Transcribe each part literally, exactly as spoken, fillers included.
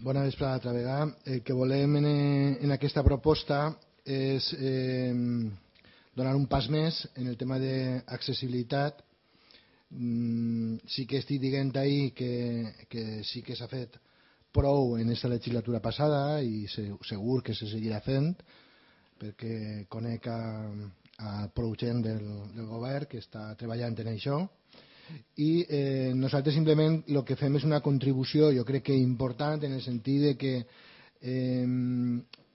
Bona vesprada altra vegada. El que volem en, en aquesta proposta és eh, donar un pas més en el tema d'accessibilitat. Mm, sí que estic dient ahir que, que sí que s'ha fet prou en aquesta legislatura passada i segur que se seguirà fent, perquè conec a, a prou gent del, del govern que està treballant en això. I eh, nosaltres simplement el que fem és una contribució, jo crec que important, en el sentit de que eh,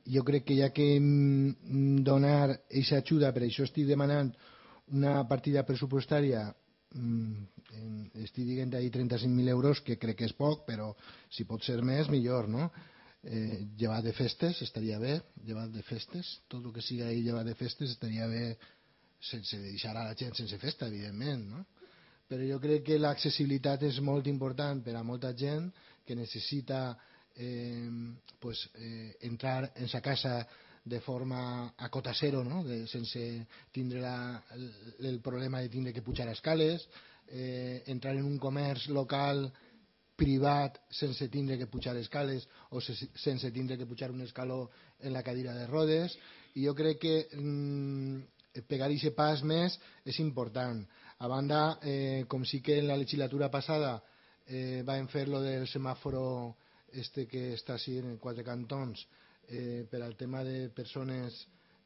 jo crec que hi ha que donar aquesta ajuda, per això estic demanant una partida pressupostària, eh, estic dient ahir trenta-cinc mil euros, que crec que és poc, però si pot ser més, millor, no? Eh, llevat de festes estaria bé, llevat de festes, tot el que sigui ahir llevat de festes estaria bé, sense deixar a la gent sense festa, evidentment, no? Però jo crec que l'accessibilitat és molt important per a molta gent que necessita eh, pues, eh, entrar en sa casa de forma a cota zero, no? de, sense tindre la, el, el problema de tindre que pujar escales, eh, entrar en un comerç local privat sense tindre que pujar escales o se, sense tindre que pujar un escaló en la cadira de rodes. I jo crec que mm, pegar aquest pas més és important. A banda, eh, com sí que en la legislatura passada eh, vam fer lo del semàforo este que està així en quatre cantons eh, per al tema de persones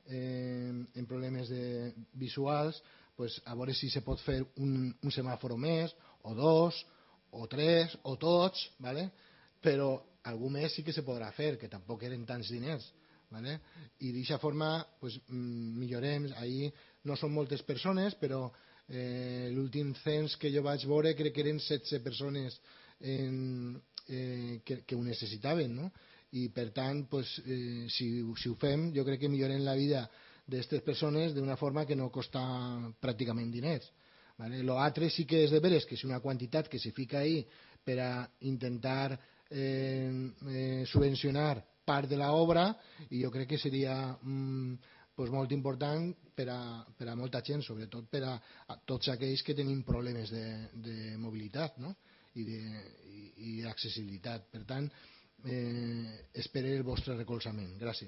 eh, en problemes de visuals, pues, a veure si se pot fer un, un semàforo més, o dos, o tres, o tots, ¿vale? Però algú més sí que se podrà fer, que tampoc eren tants diners. ¿Vale? I d'aquesta forma pues, millorem. Ahir no són moltes persones, però eh, l'últim cens que jo vaig veure crec que eren setze persones en, eh, que, que ho necessitaven, no? I per tant pues, eh, si, si ho fem jo crec que millorem la vida d'aquestes persones d'una forma que no costa pràcticament diners. ¿Vale? Lo altre sí que és de veres que és una quantitat que se fica ahí per a intentar eh, eh, subvencionar part de l'obra i jo crec que seria mm, pues molt important per a, per a molta gent, sobretot per a, a tots aquells que tenim problemes de, de mobilitat, no? I d'accessibilitat. Per tant, eh, espero el vostre recolzament. Gràcies.